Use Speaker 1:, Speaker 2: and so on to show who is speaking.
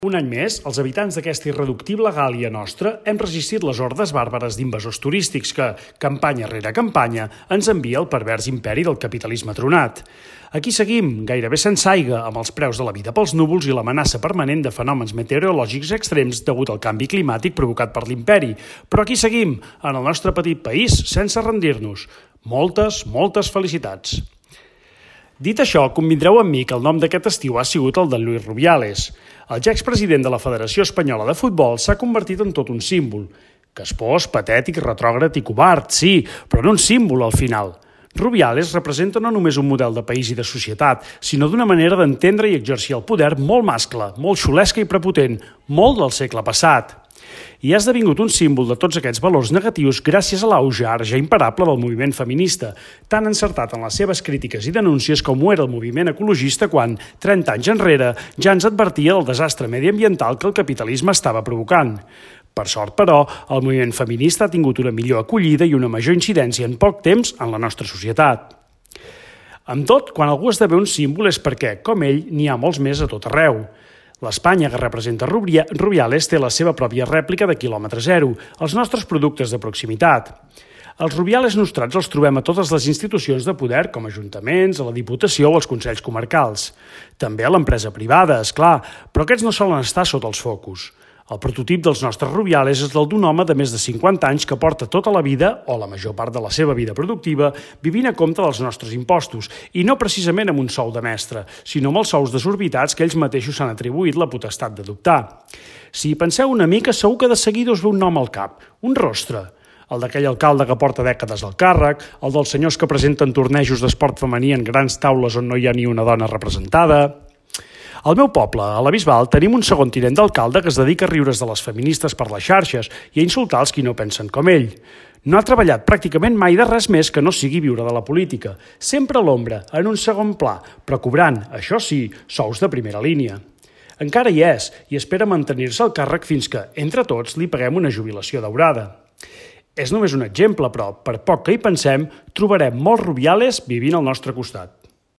Speaker 1: Un any més, els habitants d'aquesta irreductible Gàl·lia nostra hem resistit les hordes bàrbares d'invasors turístics que, campanya rere campanya, ens envia el pervers imperi del capitalisme tronat. Aquí seguim, gairebé sense aigua, amb els preus de la vida pels núvols i l'amenaça permanent de fenòmens meteorològics extrems degut al canvi climàtic provocat per l'imperi. Però aquí seguim, en el nostre petit país, sense rendir-nos. Moltes felicitats. Dit això, convindreu amb mi que el nom d'aquest estiu ha sigut el d'en Luis Rubiales. El ja expresident de la Federació Espanyola de Futbol s'ha convertit en tot un símbol. Caspós, patètic, retrògrad i covard, sí, però no un símbol al final. Rubiales representa no només un model de país i de societat, sinó d'una manera d'entendre i exercir el poder molt mascle, molt xulesca i prepotent, molt del segle passat. I ha esdevingut un símbol de tots aquests valors negatius gràcies a l'auge ara ja imparable del moviment feminista, tan encertat en les seves crítiques i denúncies com ho era el moviment ecologista quan, 30 anys enrere, ja ens advertia del desastre mediambiental que el capitalisme estava provocant. Per sort, però, el moviment feminista ha tingut una millor acollida i una major incidència en poc temps en la nostra societat. Amb tot, quan algú esdevé un símbol és perquè, com ell, n'hi ha molts més a tot arreu. L'Espanya que representa Rubiales té la seva pròpia rèplica de quilòmetre zero, els nostres productes de proximitat. Els Rubiales nostrats els trobem a totes les institucions de poder, com ajuntaments, a la Diputació o als Consells Comarcals. També a l'empresa privada, és clar, però aquests no solen estar sota els focus. El prototip dels nostres Rubiales és el d'un home de més de 50 anys que porta tota la vida, o la major part de la seva vida productiva, vivint a compte dels nostres impostos, i no precisament amb un sou de mestre, sinó amb els sous desorbitats que ells mateixos s'han atribuït la potestat d'adoptar. Si hi penseu una mica, segur que de seguida us ve un nom al cap, un rostre. El d'aquell alcalde que porta dècades al càrrec, el dels senyors que presenten tornejos d'esport femení en grans taules on no hi ha ni una dona representada. Al meu poble, a la Bisbal, tenim un segon tinent d'alcalde que es dedica a riure's de les feministes per les xarxes i a insultar els qui no pensen com ell. No ha treballat pràcticament mai de res més que no sigui viure de la política, sempre a l'ombra, en un segon pla, però cobrant, això sí, sous de primera línia. Encara hi és i espera mantenir-se al càrrec fins que, entre tots, li paguem una jubilació daurada. És només un exemple, però, per poc que hi pensem, trobarem molts Rubiales vivint al nostre costat.